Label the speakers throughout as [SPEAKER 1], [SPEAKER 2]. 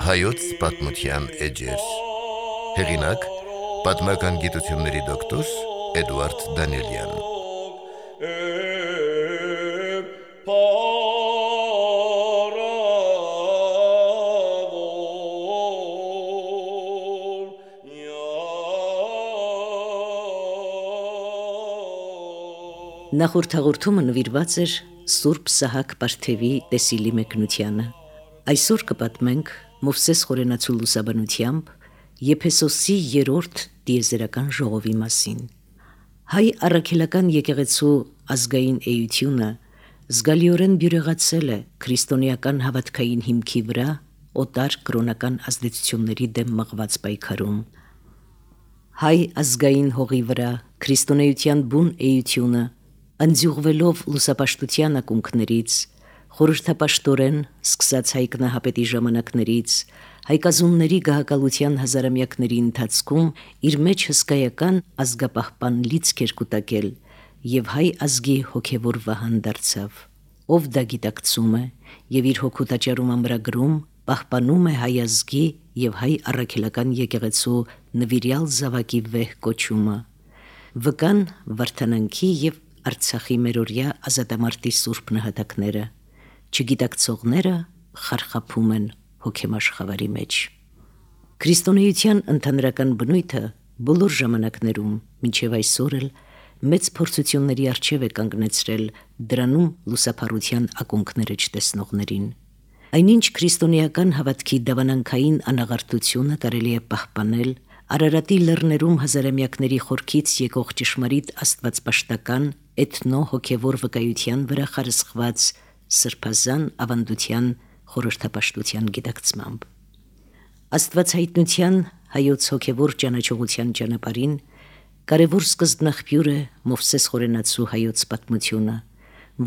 [SPEAKER 1] Հայոց պատմության էջեր։ Հեղինակ՝ պատմական գիտությունների դոկտոր Էդուարդ Դանիելյան։
[SPEAKER 2] Նախորդ հաղորդումը նվիրված էր Սուրբ Սահակ Պարթևի տեսիլի մեկնությանը։ Այսօր կպատմենք Մովսես Խորենացու լուսաբանությամբ Եփեսոսի 3-րդ տիեզերական ժողովի մասին։ Հայ առաքելական եկեղեցու ազգային էությունը զգալիորեն բյուրեղացել է քրիստոնեական հավատքային հիմքի վրա օտար կրոնական ազդեցությունների դեմ մղված պայքարում։ Հայ ազգային հողի վրա քրիստոնեության բուն էությունը ընդձյուղվելով լուսապաշտության ակունքներից, խորհրդապաշտորեն սկսած հայկնահապետի ժամանակներից, հայկազունների գահակալության հազարամյակների ընթացքում իր մեջ հսկայական ազգապահպան լիցք էր կուտակել և հայ ազգի հոգևոր վահան դարձավ, ով դա գիտակցում է և իր հոգու տաճարում ամրագրում, պահպանում է հայ ազգի և հայ առաքելական եկեղեցու նվիրյալ զավակի վեհ կոչումը, վկան վարդանանքի և Արցախի մերօրյա ազատամարտի սուրբ նահատակները, չգիտակցողները խարխափում են հոգեմաշխավարի մեջ։ Քրիստոնեության ընդհանրական բնույթը բոլոր ժամանակներում, մինչև այսօր էլ մեծ փորձությունների առջև է կանգնեցրել դրանում լուսափառության ակունքները չտեսնողներին։ Այնինչ քրիստոնեական հավատքի դավանանքային անաղարտությունը կարելի է պահպանել Արարատի լեռներում հազարամյակների խորքից եկող ճշմարիտ աստվածպաշտական էթնո-հոգևոր վկայության վրա խարսխված սրբազան ավանդության խորհրդապաշտության գիտակցմամբ։ Աստվածհայտնության հայոց հոգևոր ճանաչողության ճանապարհին կարևոր սկզբնաղբյուր է Մովսես Խորենացու հայոց պատմությունը,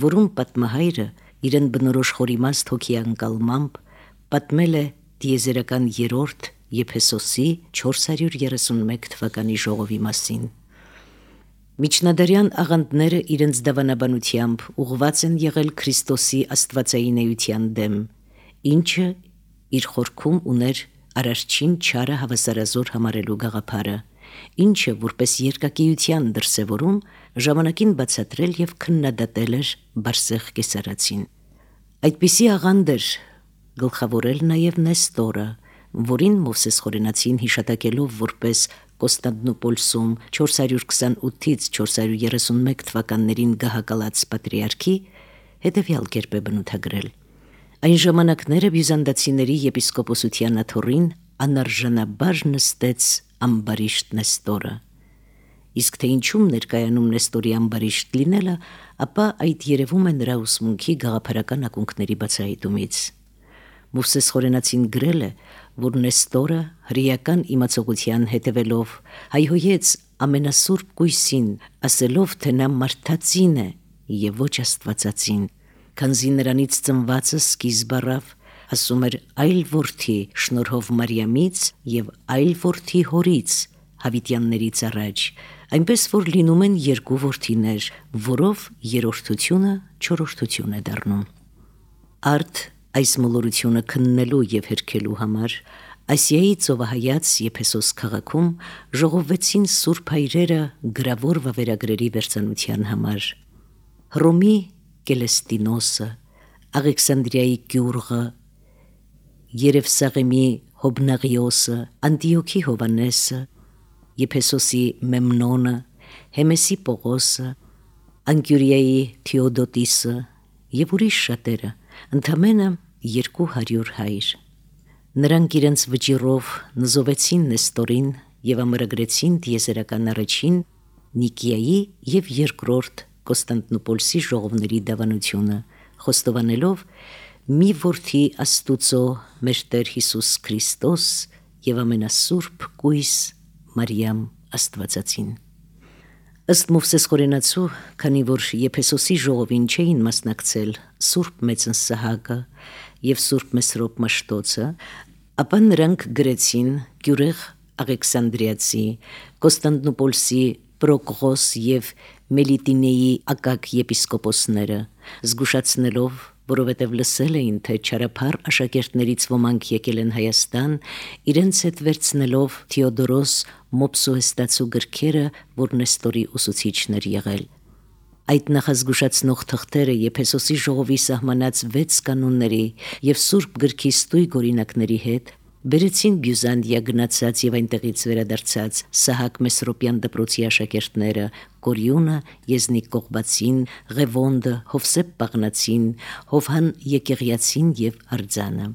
[SPEAKER 2] որում պատմահայրը իրեն բնորոշ խորիմաստ հոգի անկալմամբ պատմել է տիեզերական 3-րդ Եփեսոսի 431 թվականի ժողովի մասին։ Միջնադարյան աղանդները իրենց դավանաբանությամբ ուղղված են եղել Քրիստոսի աստվածային էության դեմ, ինչը իր խորքում ուներ արարչին չարը հավասարազոր համարելու գաղափարը, ինչը որպես երկակիության դրսևորում ժամանակին բացատրել և քննադատել էր Բարսեղ Կեսարացին։ Այդպիսի աղանդ էր գլխավորել նաև Նեստորը, որին Մովսես Խորենացին հիշատակելով որպես Կոստանդնուպոլսում 428-ից 431 թվականներին գահակալած պատրիարքի հետևյալ կերպ է բնութագրել. Այն ժամանակները բյուզանդացիների եպիսկոպոսության աթոռին անարժանաբար նստեց ամբարիշտ Նեստորը։ Իսկ թե ինչում ներկայանում Նեստորի ամբարիշտ լինելը, ապա այդ երևում է նրա ուսմունքի գաղափարական ակունքների բացահայտումից։ Մովսես Խորենացին գրել է, որ Նեստորը հրեական իմացողության հետևելով հայհոյեց ամենասուրբ կույսին, ասելով, թե նա մարդածին է և ոչ աստվածածին, քանզի նրանից ծնվածը սկիզբ առավ, ասում էր, այլ որդի շնորհով Մարիամից և այլ որդի հորից հավիտյաններից առաջ, այնպես որ լինում են երկու որդիներ, որով երրորդությունը չորրորդություն է դառնում։ Արդ այս մոլորությունը քննելու և հերքելու համար Ասիայի ծովահայաց Եփեսոս քաղաքում ժողովվեցին սուրբ հայրերը գրավոր վավերագրերի վերծանության համար։ Հռոմի Կելեստինոսը, Աղեքսանդրիայի Գյուրղը, Երևսաղեմի Հոբնաղիոսը, Անտիոքի Հովանեսը, Եփեսոսի Մեմնոնը, Հեմեսի Պողոսը, Անկյուրիայի Թեոդոտիսը և ուրիշ շատերը, ընդամենը 200 հայր։ Նրանք իրենց վճիռով նզովեցին Նեստորին և ամրագրեցին տիեզերական առաջին Նիկիայի և երկրորդ Կոստանդնուպոլսի ժողովների դավանությունը, խոստովանելով մի որդի Աստուծո մեր Տեր Հիսուս Քրիստոս և ամենասուրբ կույս Մարիամ Աստվածածին։ Ըստ Մովսես Խորենացու, քանի որ Եփեսոսի ժողովին չէին մասնակցել Սուրբ Մեծն Սահակը և Սուրբ Մեսրոպ Մաշտոցը, ապա նրանք գրեցին Գյուրեղ Աղեքսանդրիացի, Կոստանդնուպոլսի Պրոկղոս և Մելիտինեի ակակ եպիսկոպոսները, զգուշացնելով, որովհետև լսել էին, թե չարափառ աշակերտներից ոմանք եկել են Հայաստան, իրենց հետ վերցնելով Թեոդորոս Մոպսուհեստացու գրքերը, որ Նեստորի ուսուցիչն էր եղել։ Այդ նախազգուշացնող թղթերը Եփեսոսի ժողովի սահմանած 6 կանոնների եւ Սուրբ գրքի ստույգ օրինակների հետ բերեցին Բյուզանդիա գնացած եւ այնտեղից վերադարձած Սահակ Մեսրոպյան դպրոցի աշակերտները Կորյունը, Եզնիկ Կողբացին, Ղևոնդը, Հովսեփ Պաղնացին, Հովհան Եկեղյացին եւ Արձանը։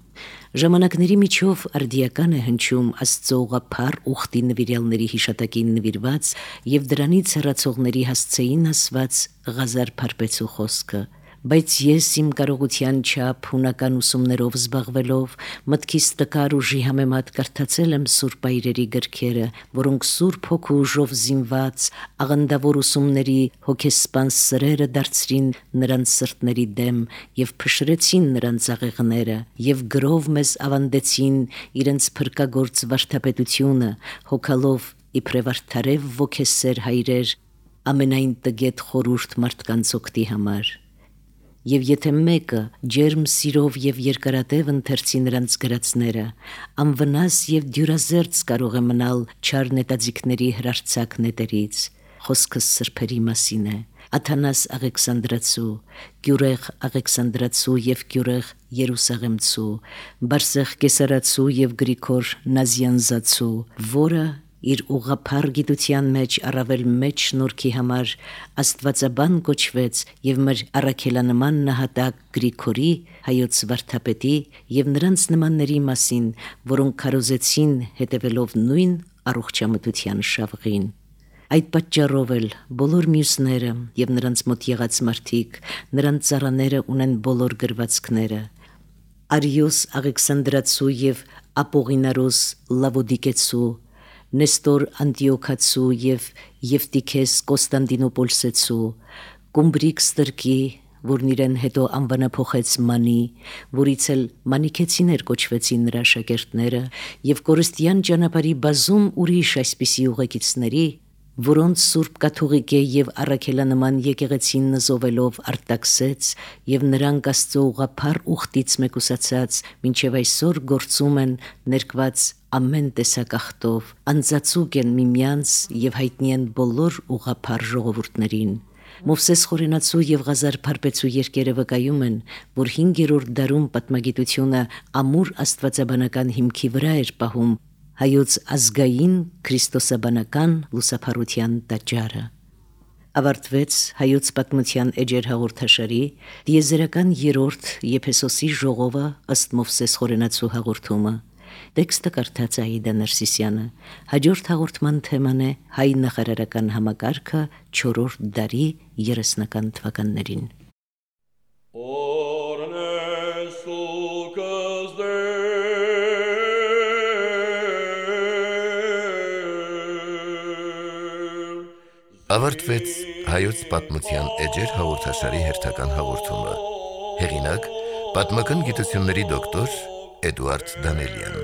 [SPEAKER 2] Ժամանակների միջով արդիական է հնչում Աստծո ուղղափառ ուխտի նվիրյալների հիշատակին նվիրված եւ դրանից հեռացողների հասցեին ասված Ղազար Փարպեցու խոսքը։ Բայց ես իմ կարողության չափ հունական ուսումներով զբաղվելով մտքիս տկար ուժի համեմատ կարդացել եմ Սուրբ այրերի գրքերը, որոնք Սուրբ Հոգու ուժով զինված աղանդավոր ուսումների հոգեսպան սրերը դարձրին նրանց սրտների դեմ եւ փշրեցին նրանց աղեղները եւ գրով մեզ ավանդեցին իրենց փրկագործ վարդապետությունը, հոգալով իբրև արդարև ոգեսեր հայրեր ամենայն տգետ խորուրդ մարդկանց օգտի համար։ Եվ եթե մեկը ջերմ սիրով եւ երկարատև ընթերցի նրանց գրածները, անվնաս եւ դյուրազերծ կարող է մնալ չար նետաձիգների հրարցակ նետերից։ Խոսքս սրբերի մասին է։ Աթանաս Աղեքսանդրացու, Գյուրեղ Աղեքսանդրացու եւ Գյուրեղ Երուսաղեմցու, Բարսեղ Կեսարացու եւ Գրիգոր Նազյանզացու, որը իր ուղղափառ գիտության մեջ առավել մեծ շնորհքի համար Աստվածաբան կոչվեց եւ մեր առաքելանման նահատակ Գրիգորի հայոց վարդապետի եւ նրանց նմանների մասին, որոնք քարոզեցին հետևելով նույն առողջամտության շավղին։ Այդ պատճառով էլ բոլոր մյուսները եւ նրանց մոտ եղած մարդիկ, նրանց ծառաները ունեն բոլոր գրվածքները։ Արիոս Աղեքսանդրացու եւ Ապողինարոս Լավոդիկեցու, Նեստոր Անտիոքացու եւ Եվտիքես Կոստանդինոպոլսեցու, Կումբրիկ Ստրկի, որն իրեն հետո անվանափոխեց Մանի, որից էլ մանիքեցիներ կոչվեցին նրա աշակերտները, եւ կորստյան ճանապարհի բազում ուրիշ այսպիսի ուղեկիցների, որոնց Սուրբ Կաթողիկե եւ առաքելանման եկեղեցին նզովելով արտաքսեց եւ նրանք Աստծո ուղղափառ ուխտից մեկուսացած մինչեւ այսօր գործում են ներկված ամեն տեսակախտով, անձացուկ են միմյանց եւ հայտնի են բոլոր ուղղափառ ժողովուրդներին։ Մովսես Խորենացու եւ Ղազար Փարպեցու երկերը վկայում են, որ 5-րդ դարում պատմագիտությունը ամուր աստվածաբանական հիմքի վրա էր պահում հայոց ազգային քրիստոսաբանական լուսափառության տաճարը։ Ավարտվեց հայոց պատմության էջեր հաղորդաշարի դիեզերական 3-րդ Եփեսոսի ժողովը ըստ Մովսես Խորենացու հաղորդումը։ Տեքստը կարդաց Աիդա Ներսիսյանը։ Հաջորդ հաղորդման թեման է հայ նախարարական համակարգը 4-րդ դարի 30-ական թվականներին։
[SPEAKER 1] Ավարտվեց հայոց պատմության էջեր հաղորդաշարի հերթական հաղորդումը։ Հեղինակ՝ պատմական գիտությունների դոկտոր Էդուարդ Դանելյան։